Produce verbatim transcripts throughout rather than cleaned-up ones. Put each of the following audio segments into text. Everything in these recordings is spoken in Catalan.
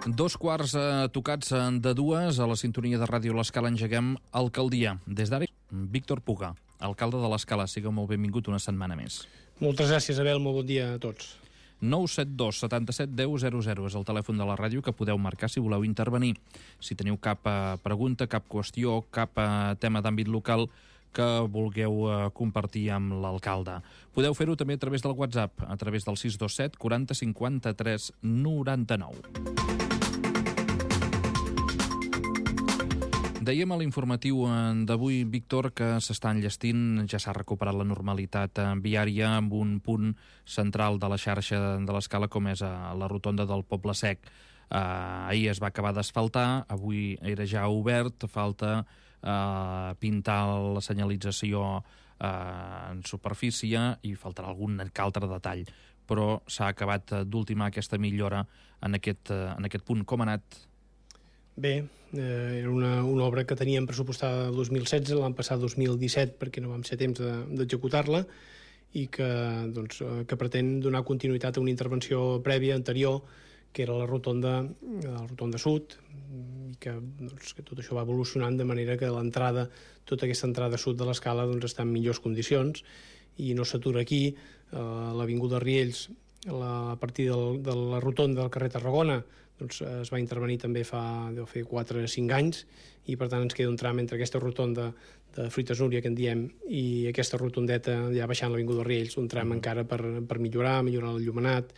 Dos quarts eh, tocats de dues, a la sintonia de Ràdio L'Escala engeguem Alcaldia. Des d'ara, Víctor Puga, alcalde de l'Escala. Siga molt benvingut una setmana més. Moltes gràcies, Abel. Molt bon dia a tots. nou set dos setanta-set deu zero zero és el telèfon de la ràdio que podeu marcar si voleu intervenir. Si teniu cap eh, pregunta, cap qüestió, cap eh, tema d'àmbit local que vulgueu eh, compartir amb l'alcalde. Podeu fer-ho també a través del WhatsApp, a través del sis dos set quaranta cinquanta-tres noranta-nou. Dèiem a l'informatiu d'avui, Víctor, que s'està enllestint, ja s'ha recuperat la normalitat viària amb un punt central de la xarxa de l'Escala com és a la rotonda del Poble Sec. Uh, ahir es va acabar d'asfaltar, avui era ja obert, falta uh, pintar la senyalització uh, en superfície i faltarà algun altre detall, però s'ha acabat d'ultimar aquesta millora en aquest, uh, en aquest punt. Com ha anat? Bé, eh, era una, una obra que teníem pressupostada el dos mil setze, l'han passat dos mil disset perquè no vam ser temps de, d'executar-la i que, doncs, que pretén donar continuïtat a una intervenció prèvia, anterior, que era la rotonda, la rotonda sud, i que, doncs, que tot això va evolucionant de manera que l'entrada, tota aquesta entrada sud de l'Escala doncs, està en millors condicions i no s'atura aquí. Eh, l'avinguda Riells, la, a partir del, de la rotonda del carrer Tarragona, doncs, es va intervenir també fa deu fer quatre o cinc anys i per tant ens queda un tram entre aquesta rotonda de Fruites Núria que en diem i aquesta rotondeta ja baixant l'avinguda Riells, un tram mm. encara per, per millorar, millorar el llumenat,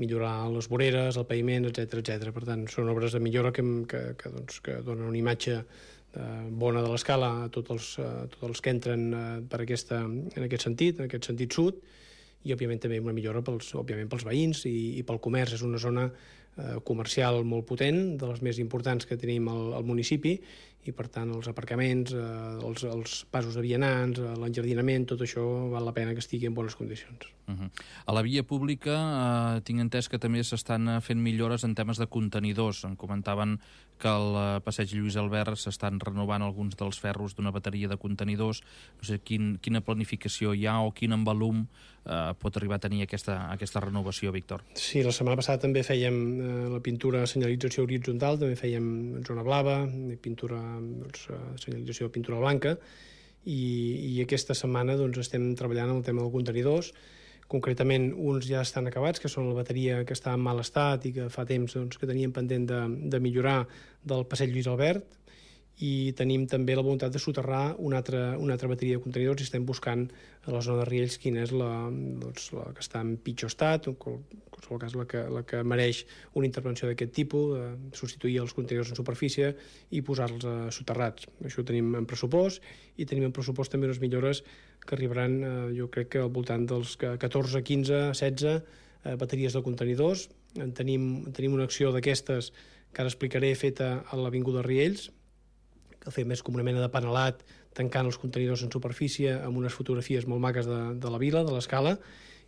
millorar les voreres, el paviment, etcètera etcètera. Per tant, són obres de millora que, que, que, doncs, que donen una imatge eh, bona de l'Escala a tots els, a tots els que entren eh, per aquesta, en aquest sentit, en aquest sentit sud, i òbviament també una millora pels, òbviament pels veïns i, i pel comerç. És una zona eh, comercial molt potent, de les més importants que tenim al, al municipi, i per tant els aparcaments, eh, els, els passos de vianants, eh, l'enjardinament, tot això val la pena que estigui en bones condicions. Uh-huh. A la via pública eh, tinc entès que també s'estan fent millores en temes de contenidors. Em comentaven que al passeig Lluís Albert s'estan renovant alguns dels ferros d'una bateria de contenidors. No sé quin, quina planificació hi ha o quin envolum eh, pot arribar a tenir aquesta, aquesta renovació, Víctor. Sí, la setmana passada també fèiem eh, la pintura senyalització horitzontal, també fèiem zona blava, pintura, doncs, senyalització de pintura blanca, i, i aquesta setmana doncs, estem treballant en el tema dels contenidors. Concretament, uns ja estan acabats, que són la bateria que està en mal estat i que fa temps doncs, que teníem pendent de, de millorar del passeig Lluís Albert, i tenim també la voluntat de soterrar una altra, una altra bateria de contenidors i estem buscant a la zona de Riells quina és la, doncs, la que està en pitjor estat, en qualsevol cas la que, la que mereix una intervenció d'aquest tipus, de substituir els contenidors en superfície i posar-los a soterrats. Això ho tenim en pressupost, i tenim en pressupost també unes millores que arribaran, eh, jo crec que al voltant dels catorze, quinze, setze eh, bateries de contenidors. En tenim, tenim una acció d'aquestes que ara explicaré feta a l'avinguda Riells, que fem més com una mena de panelat tancant els contenidors en superfície amb unes fotografies molt maques de, de la vila, de l'Escala,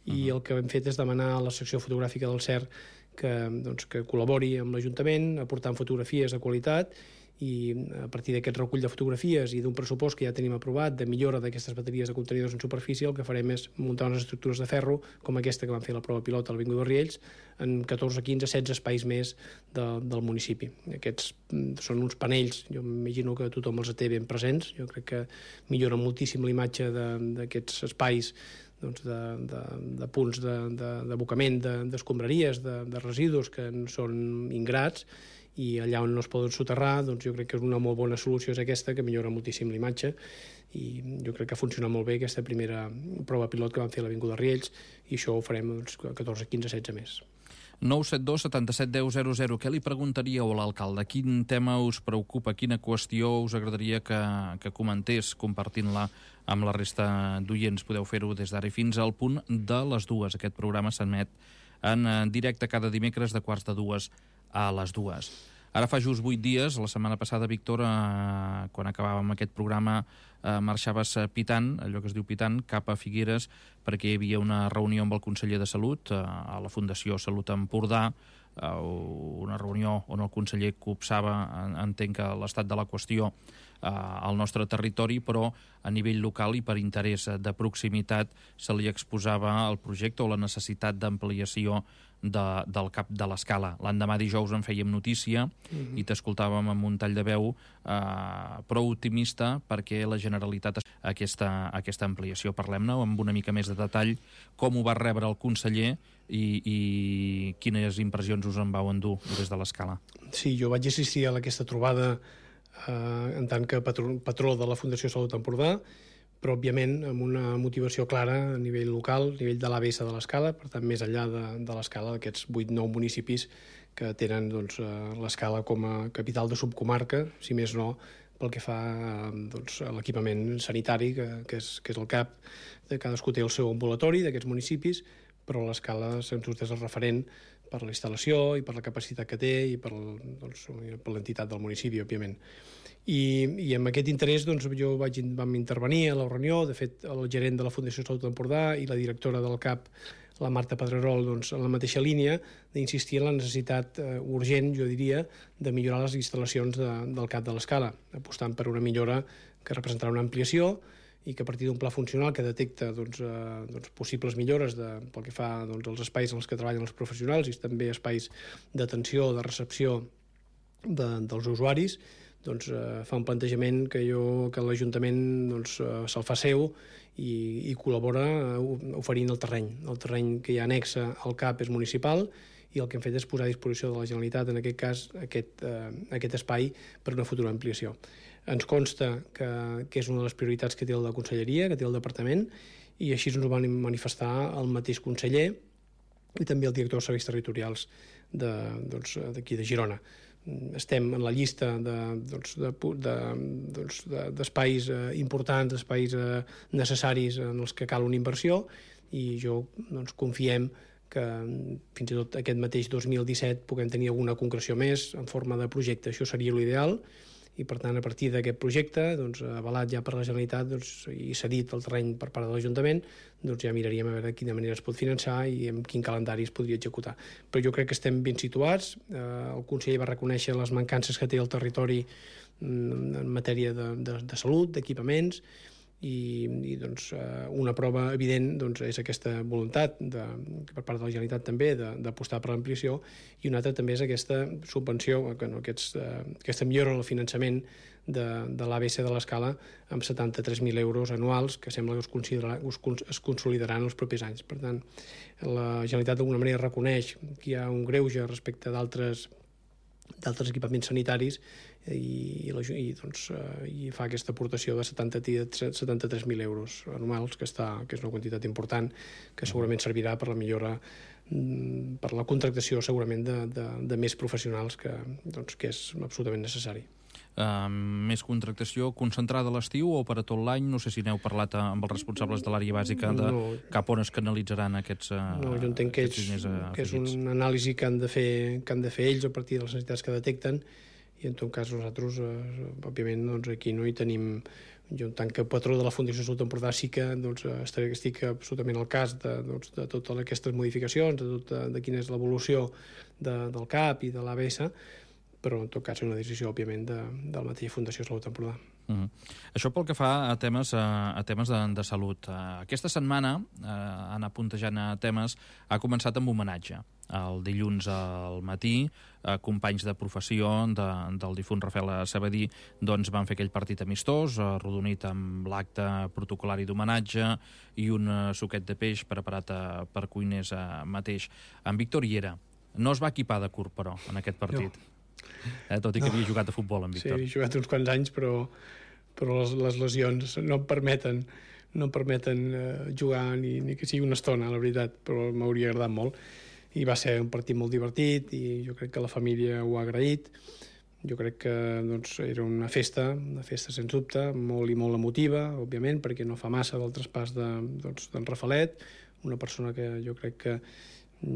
i uh-huh. el que hem fet és demanar a la secció fotogràfica del C E R que, doncs, que col·labori amb l'Ajuntament aportant fotografies de qualitat, i a partir d'aquest recull de fotografies i d'un pressupost que ja tenim aprovat de millora d'aquestes bateries de contenidors en superfície, el que farem és muntar unes estructures de ferro com aquesta que vam fer la prova pilot a l'Avinguda Riells en catorze, quinze, setze espais més de, del municipi. Aquests són uns panells, jo m'imagino que tothom els té ben presents, jo crec que millora moltíssim la imatge d'aquests espais, doncs de, de, de punts d'abocament de, de, d'escombraries, de, de residus que són ingrats, i allà on no es poden soterrar, doncs jo crec que és una molt bona solució és aquesta, que millora moltíssim la imatge, i jo crec que ha funcionat molt bé aquesta primera prova pilot que vam fer a l'Avinguda Riells, i això ho farem doncs, catorze, quinze, setze més. nou set dos setanta-set deu zero zero. Què li preguntaríeu a l'alcalde? Quin tema us preocupa? Quina qüestió us agradaria que, que comentés compartint-la amb la resta d'oients? Podeu fer-ho des d'ara fins al punt de les dues. Aquest programa s'emet en directe cada dimecres de quarts de dues a les dues. Ara fa just vuit dies, la setmana passada, Víctor, eh, quan acabàvem aquest programa, eh, marxaves pitant, allò que es diu pitant, cap a Figueres, perquè hi havia una reunió amb el conseller de Salut, eh, a la Fundació Salut Empordà, eh, una reunió on el conseller copsava, entenc que l'estat de la qüestió al nostre territori, però a nivell local i per interès de proximitat se li exposava el projecte o la necessitat d'ampliació de, del cap de l'Escala. L'endemà dijous en fèiem notícia mm-hmm. i t'escoltàvem amb un tall de veu eh, prou optimista perquè la Generalitat aquesta, aquesta ampliació. Parlem-ne amb una mica més de detall com ho va rebre el conseller i, i quines impressions us en vau endur des de l'Escala. Sí, jo vaig assistir a aquesta trobada eh, en tant que patró, patró de la Fundació Salut Empordà, però òbviament amb una motivació clara a nivell local, a nivell de l'A B S de l'Escala, per tant més enllà de, de l'Escala, d'aquests vuit nou municipis que tenen doncs, l'Escala com a capital de subcomarca, si més no pel que fa doncs, a l'equipament sanitari, que, que, és, que és el cap, de cadascú té el seu ambulatori d'aquests municipis, però l'Escala sens dubte és el referent per la instal·lació i per la capacitat que té i per, doncs, per l'entitat del municipi, òbviament. I, i amb aquest interès doncs, jo vaig, vam intervenir a la reunió. De fet, el gerent de la Fundació Salut Empordà i la directora del C A P, la Marta Pedrerol, doncs, en la mateixa línia d'insistir en la necessitat eh, urgent, jo diria, de millorar les instal·lacions de, del C A P de l'Escala, apostant per una millora que representarà una ampliació i que a partir d'un pla funcional que detecta doncs, eh, doncs, possibles millores de, pel que fa doncs, als espais en els que treballen els professionals i també espais d'atenció, de recepció de, dels usuaris, doncs, eh, fa un plantejament que, jo, que l'Ajuntament doncs, eh, se'l fa seu i, i col·labora eh, oferint el terreny. El terreny que hi ha anexa al C A P és municipal i el que hem fet és posar a disposició de la Generalitat, en aquest cas, aquest, eh, aquest espai per una futura ampliació. Ens consta que, que és una de les prioritats que té la Conselleria, que té el Departament, i així ens ho van manifestar el mateix conseller i també el director de serveis territorials d'aquí de, doncs, de Girona. Estem en la llista d'espais de, doncs, de, doncs, de, eh, importants, d'espais eh, necessaris en els que cal una inversió, i jo doncs, confiem que fins i tot aquest mateix dos mil disset puguem tenir alguna concreció més en forma de projecte. Això seria l'ideal, i per tant a partir d'aquest projecte doncs, avalat ja per la Generalitat doncs, i cedit el terreny per part de l'Ajuntament, doncs ja miraríem a veure de quina manera es pot finançar i en quin calendari es podria executar. Però jo crec que estem ben situats. Eh, el conseller va reconèixer les mancances que té el territori en matèria de, de, de salut, d'equipaments, i, i doncs, una prova evident doncs, és aquesta voluntat de, per part de la Generalitat també d'apostar per l'ampliació, i una altra també és aquesta subvenció, que no, aquests, aquesta millora en el finançament de, de l'A B C de l'Escala amb setanta-tres mil euros anuals, que sembla que es, es consolidaran els propers anys. Per tant, la Generalitat d'alguna manera reconeix que hi ha un greuge respecte d'altres d'altres equipaments sanitaris i, i, i, doncs, eh, i fa aquesta aportació de setanta-tres mil euros anuals, que, està, que és una quantitat important, que segurament servirà per la millora, per la contractació segurament de, de, de més professionals, que, doncs, que és absolutament necessari. Uh, més contractació concentrada a l'estiu o per a tot l'any? No sé si n'heu parlat amb els responsables de l'àrea bàsica de no, cap on es canalitzaran aquests uh, No, jo entenc que, ells, que és una anàlisi que han, de fer, que han de fer ells a partir de les necessitats que detecten, i en tot cas nosaltres, uh, òbviament, doncs, aquí no hi tenim. Jo, en tant que patró de la Fundació Salut Empordà, sí que doncs, estaré, estic absolutament al cas de, doncs, de totes aquestes modificacions, de, tot, de, de quina és l'evolució de, del C A P i de l'A B S, però en tot cas és una decisió, òbviament, de, de la mateixa Fundació Salut Empordà. Uh -huh. Això pel que fa a temes, a, a temes de, de salut. Aquesta setmana, eh, anant puntejant a temes, ha començat amb homenatge. El dilluns al matí, eh, companys de professió de, del difunt Rafael Sabadí doncs, van fer aquell partit amistós, arrodonit amb l'acte protocolari d'homenatge i un uh, suquet de peix preparat uh, per cuiners uh, mateix. En Víctor hi era. No es va equipar de curt, però, en aquest partit. No. Eh, tot i que no. havia jugat a futbol, en Víctor. Sí, he jugat uns quants anys, però, però les, les lesions no em permeten, no em permeten eh, jugar ni, ni que sigui una estona, la veritat, però m'hauria agradat molt. I va ser un partit molt divertit i jo crec que la família ho ha agraït. Jo crec que doncs, era una festa, una festa sens dubte, molt i molt emotiva, òbviament, perquè no fa massa del traspàs d'en doncs, Rafalet, una persona que jo crec que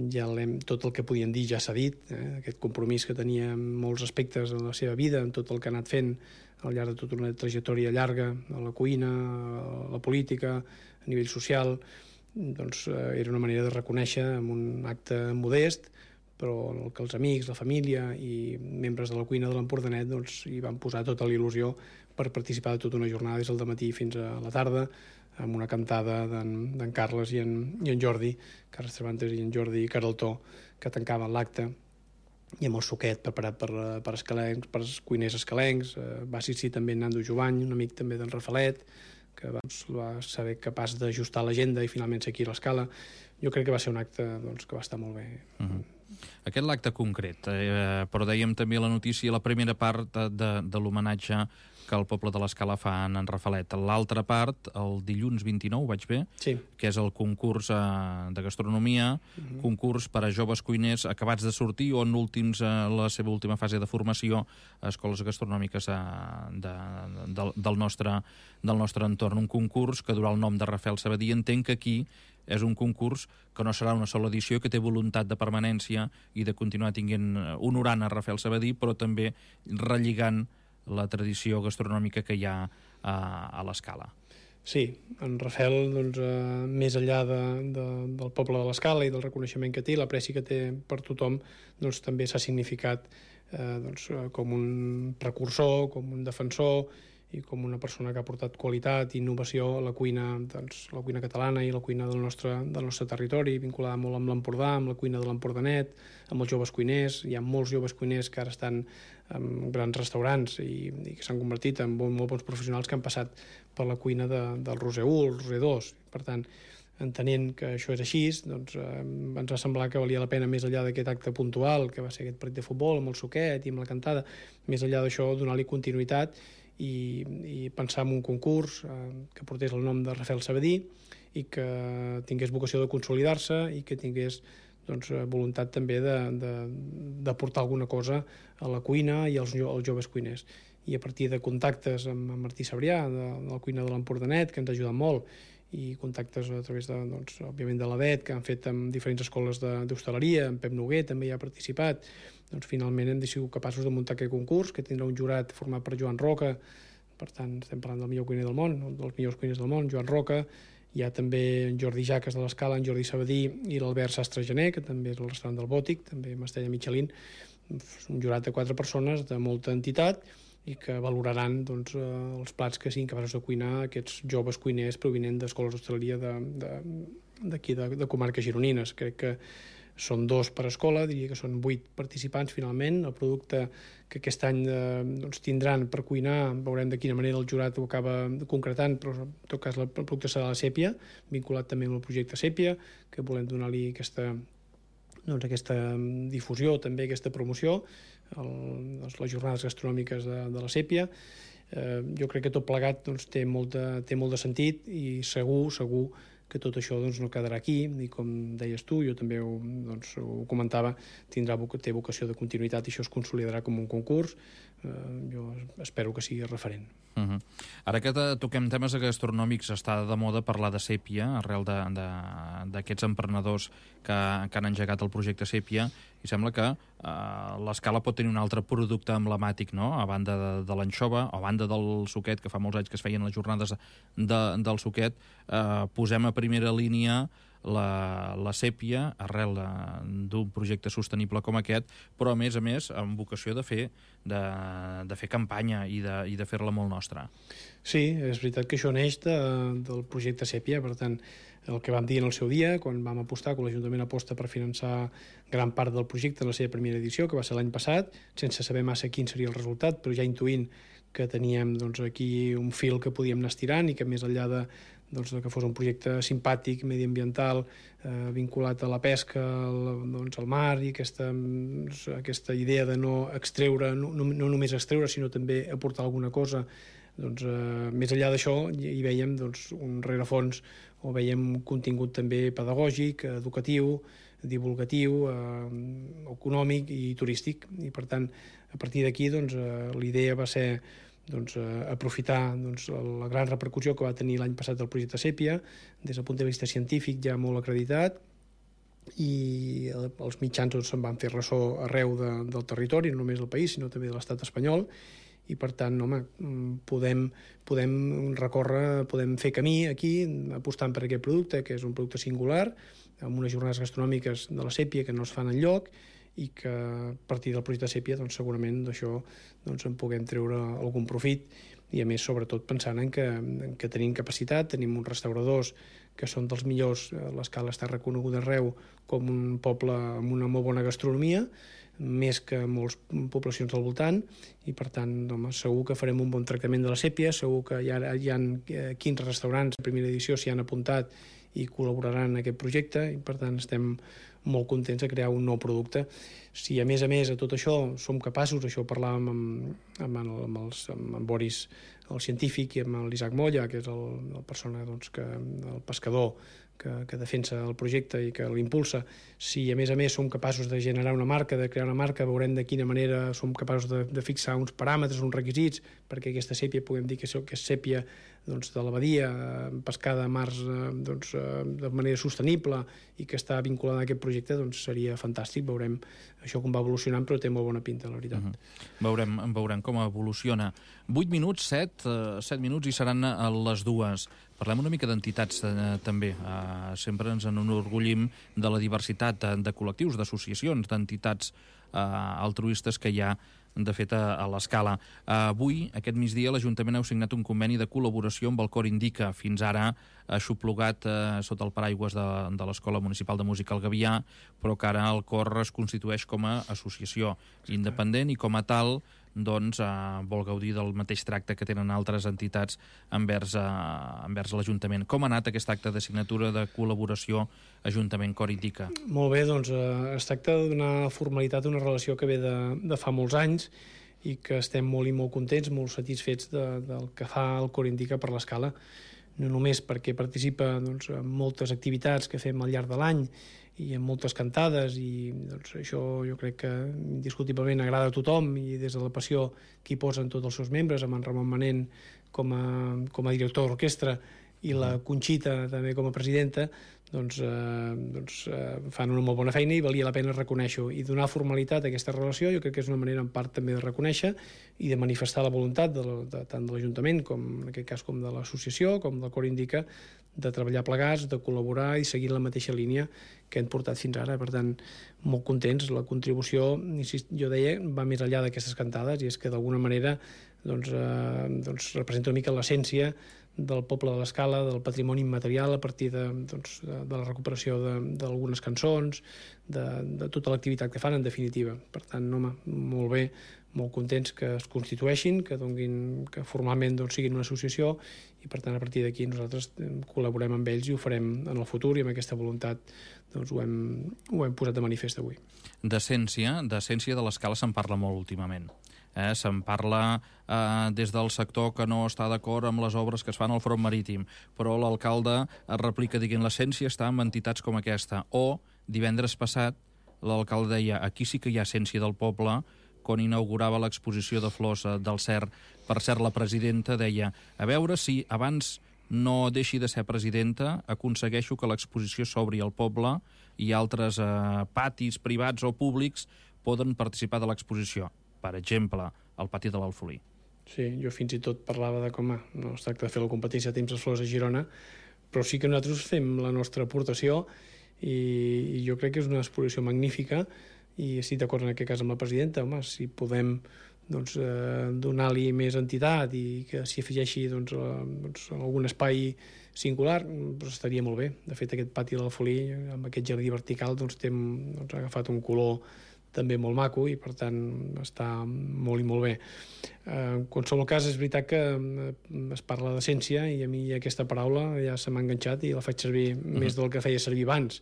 ja tot el que podien dir ja s'ha dit, eh? Aquest compromís que tenia en molts aspectes de la seva vida, en tot el que ha anat fent al llarg de tota una trajectòria llarga, a la cuina, a la política, a nivell social, doncs eh, era una manera de reconèixer amb un acte modest, però el que els amics, la família i membres de la cuina de l'Empordanet doncs, hi van posar tota la il·lusió per participar de tota una jornada des del matí fins a la tarda, amb una cantada d'en Carles i en, i en Jordi, Carles Cervantes i en Jordi Caraltó, que tancaven l'acte, i amb el suquet preparat per, per, escalencs, per cuiners escalencs. Eh, va assistir també en Nando Jovany, un amic també d'en Rafalet, que doncs, va saber capaç d'ajustar l'agenda i finalment seguir l'escala. Jo crec que va ser un acte doncs, que va estar molt bé. Uh-huh. Aquest l'acte concret, eh, però dèiem també la notícia, la primera part de, de, de l'homenatge que el poble de l'Escala fa en en Rafalet. L'altra part, el dilluns vint-i-nou, vaig bé? Sí. Que és el concurs eh, de gastronomia, uh-huh. concurs per a joves cuiners acabats de sortir o en últims, eh, la seva última fase de formació a escoles gastronòmiques eh, de, de, del, nostre, del nostre entorn. Un concurs que durà el nom de Rafael Sabadí. Entenc que aquí és un concurs que no serà una sola edició, que té voluntat de permanència i de continuar tinguent, honorant a Rafael Sabadí, però també relligant la tradició gastronòmica que hi ha a, a l'Escala. Sí, en Rafael, doncs, eh, més enllà de, de, del poble de l'Escala i del reconeixement que té, l'apreci que té per tothom, doncs, també s'ha significat eh, doncs, com un precursor, com un defensor i com una persona que ha portat qualitat i innovació a la cuina, doncs, la cuina catalana i la cuina del nostre, del nostre territori, vinculada molt amb l'Empordà, amb la cuina de l'Empordanet, amb els joves cuiners. Hi ha molts joves cuiners que ara estan en grans restaurants i, i que s'han convertit en molt, molt bons professionals que han passat per la cuina de, del Roser u, el Roser dos. Per tant, entenent que això és així, doncs, eh, ens va semblar que valia la pena, més enllà d'aquest acte puntual, que va ser aquest partit de futbol amb el suquet i amb la cantada, més enllà d'això, donar-li continuïtat i, i pensar en un concurs eh, que portés el nom de Rafael Sabadí i que tingués vocació de consolidar-se i que tingués doncs, voluntat també d'aportar alguna cosa a la cuina i als, als joves cuiners. I a partir de contactes amb, amb Martí Sabrià, de, de la cuina de l'Empordanet, que ens ha ajudat molt, i contactes a través de, doncs, òbviament de l'A D E T, que han fet amb diferents escoles d'hostaleria, en Pep Noguer també hi ha participat, doncs finalment hem sigut capaços de muntar aquest concurs, que tindrà un jurat format per Joan Roca, per tant estem parlant del millor cuiner del món, dels millors cuiners del món, Joan Roca. Hi ha també en Jordi Jaques de l'Escala, en Jordi Sabadí i l'Albert Sastre Gené, que també és el restaurant del Bòtic, també amb estrella Michelin, un jurat de quatre persones de molta entitat i que valoraran doncs, els plats que siguin capaços de cuinar aquests joves cuiners provinents d'escoles d'hostaleria d'aquí, de, de, de comarques gironines. Crec que són dos per escola, diria que són vuit participants finalment. El producte que aquest any eh, doncs, tindran per cuinar, veurem de quina manera el jurat ho acaba concretant, però en tot cas el producte serà la sèpia, vinculat també amb el projecte Sèpia, que volem donar-li aquesta, doncs, aquesta difusió, també aquesta promoció, el, doncs, les jornades gastronòmiques de, de la Sèpia. Eh, jo crec que tot plegat doncs, té, molt de, té molt de sentit i segur, segur que tot això doncs, no quedarà aquí i com deies tu, jo també ho, doncs, ho comentava, tindrà, té vocació de continuïtat i això es consolidarà com un concurs. Eh, jo espero que sigui referent. Uh-huh. Ara que toquem temes gastronòmics, està de moda parlar de Sèpia arrel d'aquests emprenedors que, que han engegat el projecte Sèpia, i sembla que uh, l'Escala pot tenir un altre producte emblemàtic, no? A banda de, de l'anxova, a banda del suquet, que fa molts anys que es feien les jornades de, del suquet, uh, posem a primera línia la, la Sèpia arrel d'un projecte sostenible com aquest, però a més a més amb vocació de fer, de, de fer campanya i de, i de fer-la molt nostra. Sí, és veritat que això neix de, del projecte Sèpia, per tant, el que vam dir en el seu dia, quan vam apostar, quan l'Ajuntament aposta per finançar gran part del projecte en la seva primera edició, que va ser l'any passat, sense saber massa quin seria el resultat, però ja intuint que teníem doncs, aquí un fil que podíem anar estirant i que més enllà de, doncs, que fos un projecte simpàtic, mediambiental, eh, vinculat a la pesca, al, doncs, al mar, i aquesta, doncs, aquesta idea de no extreure, no, no, no només extreure, sinó també aportar alguna cosa, doncs, eh, més enllà d'això hi veiem doncs, un rerefons o veiem un contingut també pedagògic, educatiu, divulgatiu, eh, econòmic i turístic, i per tant a partir d'aquí doncs, eh, l'idea va ser doncs, eh, aprofitar doncs, la gran repercussió que va tenir l'any passat el projecte Sèpia, des del punt de vista científic ja molt acreditat, i els mitjans doncs, se'n van fer ressò arreu de, del territori, no només del país, sinó també de l'estat espanyol, i per tant, home, podem, podem recórrer, podem fer camí aquí, apostant per aquest producte, que és un producte singular, amb unes jornades gastronòmiques de la Sèpia que no es fan enlloc, i que a partir del projecte Sèpia doncs, segurament d'això doncs, en puguem treure algun profit i a més sobretot pensant en que, en que tenim capacitat, tenim uns restauradors que són dels millors, l'Escala està reconeguda arreu com un poble amb una molt bona gastronomia, més que moltes poblacions al voltant, i per tant home, segur que farem un bon tractament de la sèpia, segur que hi ha, hi ha quinze restaurants de primera edició s'hi han apuntat i col·laboraran en aquest projecte, i per tant estem molt contents de crear un nou producte. Si a més a més a tot això som capaços, això ho parlàvem amb, amb, el, amb, els, amb en Boris, el científic, i amb l'Isaac Molla, que és el, el persona, doncs, que, el pescador que, que defensa el projecte i que l'impulsa, si a més a més som capaços de generar una marca, de crear una marca, veurem de quina manera som capaços de, de fixar uns paràmetres, uns requisits, perquè aquesta sèpia puguem dir que és sèpia doncs, de la badia, pescada a mars doncs, de manera sostenible i que està vinculada a aquest projecte, doncs seria fantàstic. Veurem això com va evolucionant, però té molt bona pinta, la veritat. Uh-huh. Veurem, veurem com evoluciona. vuit minuts, set, set minuts i seran a les dues. Parlem una mica d'entitats eh, també. Eh, sempre ens enorgullim de la diversitat de, de col·lectius, d'associacions, d'entitats eh, altruistes que hi ha de fet a, a l'Escala. Uh, avui, aquest migdia, l'Ajuntament ha signat un conveni de col·laboració amb el Cor Indica, fins ara aixoplugat uh, sota el paraigües de, de l'Escola Municipal de Música al Gavià, però que ara el Cor es constitueix com a associació independent i com a tal doncs, uh, vol gaudir del mateix tracte que tenen altres entitats envers, uh, envers l'Ajuntament. Com ha anat aquest acte de signatura de col·laboració Ajuntament-Cor Indica? Molt bé, doncs uh, es tracta de donar formalitat a una relació que ve de, de fa molts anys i que estem molt i molt contents, molt satisfets de, del que fa el Cor Indica per l'Escala, no només perquè participa doncs, en moltes activitats que fem al llarg de l'any i en moltes cantades, i doncs, això jo crec que indiscutiblement agrada a tothom, i des de la passió que hi posen tots els seus membres, amb en Ramon Manent com a, com a director d'orquestra i la Conxita també com a presidenta, doncs, eh, doncs eh, fan una molt bona feina i valia la pena reconèixer-ho. I donar formalitat a aquesta relació jo crec que és una manera en part també de reconèixer i de manifestar la voluntat de, de, tant de l'Ajuntament, com en aquest cas com de l'associació, com del Cor Indica, de treballar plegats, de col·laborar i seguir la mateixa línia que hem portat fins ara. Per tant, molt contents. La contribució, jo deia, va més enllà d'aquestes cantades, i és que d'alguna manera doncs, eh, doncs representa una mica l'essència del poble de l'Escala, del patrimoni immaterial, a partir de, doncs, de, de la recuperació d'algunes cançons, de, de tota l'activitat que fan, en definitiva. Per tant, home, molt bé, molt contents que es constitueixin, que, donguin, que formalment doncs, siguin una associació, i per tant a partir d'aquí nosaltres col·laborem amb ells i ho farem en el futur, i amb aquesta voluntat doncs, ho, hem, ho hem posat de manifest avui. D'essència, d'essència de l'Escala se'n parla molt últimament. Eh, se'n parla eh, des del sector que no està d'acord amb les obres que es fan al front marítim, però l'alcalde es replica dient l'essència està en entitats com aquesta. O, divendres passat, l'alcalde deia aquí sí que hi ha essència del poble, quan inaugurava l'exposició de flors del Cer. Per cert, la presidenta deia a veure si abans no deixi de ser presidenta, aconsegueixo que l'exposició s'obri al poble i altres eh, patis privats o públics poden participar de l'exposició. Per exemple, el pati de l'Alfolí. Sí, jo fins i tot parlava de com no es tracta de fer la competència de temps les flors a Girona, però sí que nosaltres fem la nostra aportació, i, i jo crec que és una exposició magnífica, i estic d'acord en aquest cas amb la presidenta. Home, si podem doncs, eh, donar-li més entitat i que s'hi afegeixi doncs, eh, doncs, algun espai singular, doncs estaria molt bé. De fet, aquest pati de l'Alfolí, amb aquest jardí vertical, doncs, té, doncs, ha agafat un color també molt maco, i per tant està molt i molt bé. Eh, en qualsevol cas, és veritat que es parla d'essència, i a mi aquesta paraula ja se m'ha enganxat i la faig servir mm-hmm. més del que feia servir abans.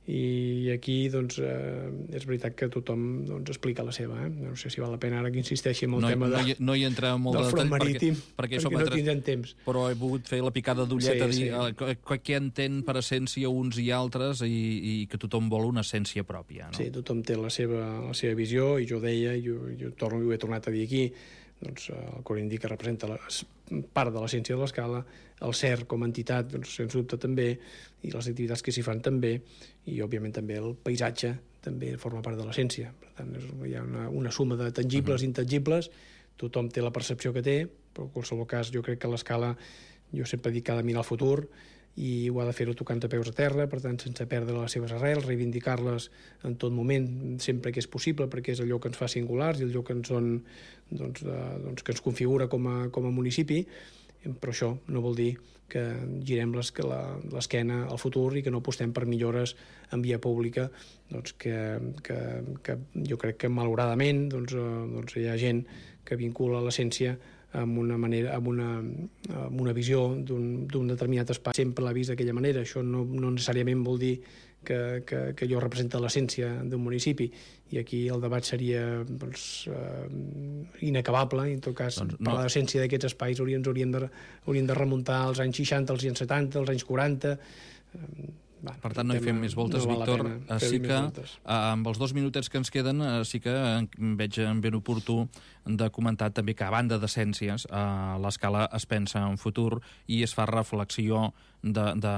I aquí doncs, eh, és veritat que tothom doncs, explica la seva. Eh? No sé si val la pena ara que insisteixi en el no, tema de, no, hi, no hi entra molt del front marítim, perquè, perquè, perquè no tindrem temps. Però he volgut fer la picada d'ullet, sí, a dir sí. eh, què entén per essència uns i altres, i, i que tothom vol una essència pròpia. No? Sí, tothom té la seva, la seva visió, i jo deia, i jo, jo torno, ho he tornat a dir aquí, doncs, el Cor Indica representa la, part de l'essència de l'Escala, el Cer com a entitat, doncs, sens dubte també, i les activitats que s'hi fan també, i òbviament també el paisatge també forma part de l'essència. Per tant, és, hi ha una, una suma de tangibles i uh-huh. intangibles, tothom té la percepció que té, però en qualsevol cas jo crec que l'Escala, jo sempre dic que ha de mirar el futur, i ho ha de fer-ho tocant de peus a terra, per tant, sense perdre les seves arrels, reivindicar-les en tot moment, sempre que és possible, perquè és allò que ens fa singulars i allò que ens, són, doncs, de, doncs, que ens configura com a, com a municipi, però això no vol dir que girem l'esquena al futur i que no apostem per millores en via pública, doncs que, que, que jo crec que malauradament doncs, doncs hi ha gent que vincula l'essència amb una manera, amb una, amb una visió d'un determinat espai. Sempre l'ha vist d'aquella manera. Això no, no necessàriament vol dir que, que, que allò representa l'essència d'un municipi, i aquí el debat seria doncs, uh, inacabable, i en tot cas doncs no. Parlar d'essència d'aquests espais hauríem, hauríem, de, hauríem de remuntar als anys seixanta, als anys setanta, als anys quaranta. Uh, Va, per tant, no hi fem més voltes, no Víctor. Sí que amb els dos minutets que ens queden sí que veig ben oportú de comentar també que a banda d'essències l'escala es pensa en futur i es fa reflexió de, de,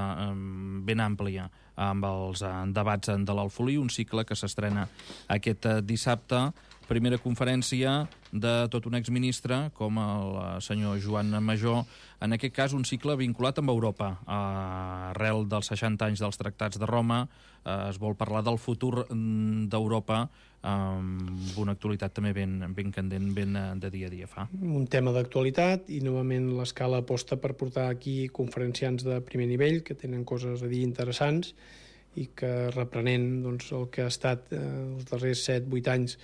ben àmplia amb els debats de l'Alfolí, un cicle que s'estrena aquest dissabte. Primera conferència de tot un exministre com el senyor Joan Majó, en aquest cas un cicle vinculat amb Europa. Arrel dels seixanta anys dels tractats de Roma es vol parlar del futur d'Europa amb una actualitat també ben, ben candent, ben de dia a dia fa. Un tema d'actualitat i novament l'escala aposta per portar aquí conferenciants de primer nivell que tenen coses a dir interessants i que reprenent doncs, el que ha estat eh, els darrers set vuit anys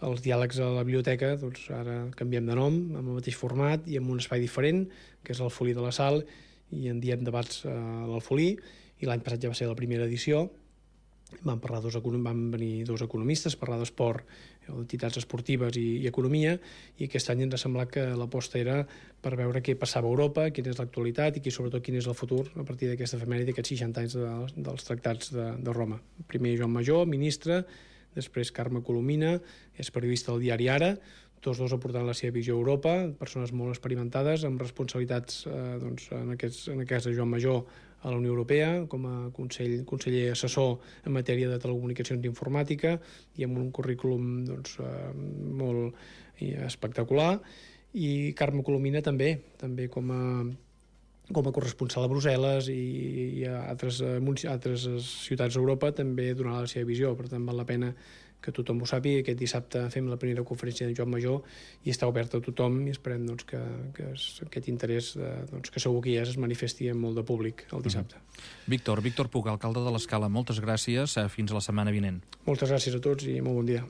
els diàlegs a la biblioteca, doncs ara canviem de nom, amb el mateix format i amb un espai diferent, que és l'Alfolí de la Sal, i en diem debats a l'Alfolí, i l'any passat ja va ser la primera edició. Van, parlar dos, van venir dos economistes, parlar d'esport, entitats esportives i, i economia, i aquest any ens ha semblat que l'aposta era per veure què passava a Europa, quina és l'actualitat i qui, sobretot quin és el futur a partir d'aquesta efemèride d'aquests seixanta anys de, dels tractats de, de Roma. Primer Joan Majó, ministre, després Carme Colomina, és periodista del diari Ara, tots dos aportant la seva visió a Europa, persones molt experimentades, amb responsabilitats eh, doncs, en, aquest, en aquest cas de Joan Majó a la Unió Europea, com a consell, conseller assessor en matèria de telecomunicacions i informàtica, i amb un currículum doncs, eh, molt espectacular, i Carme Colomina també, també com a com a corresponsal a Brussel·les i, i a altres, a altres ciutats d'Europa també donarà la seva visió. Per tant, val la pena que tothom ho sàpiga. Aquest dissabte fem la primera conferència de Joan Majó i està oberta a tothom i esperem doncs, que, que aquest interès doncs, que segur que ja es manifesti en molt de públic el dissabte. Mm-hmm. Víctor, Víctor Puig, alcalde de l'Escala, moltes gràcies. Fins a la setmana vinent. Moltes gràcies a tots i molt bon dia.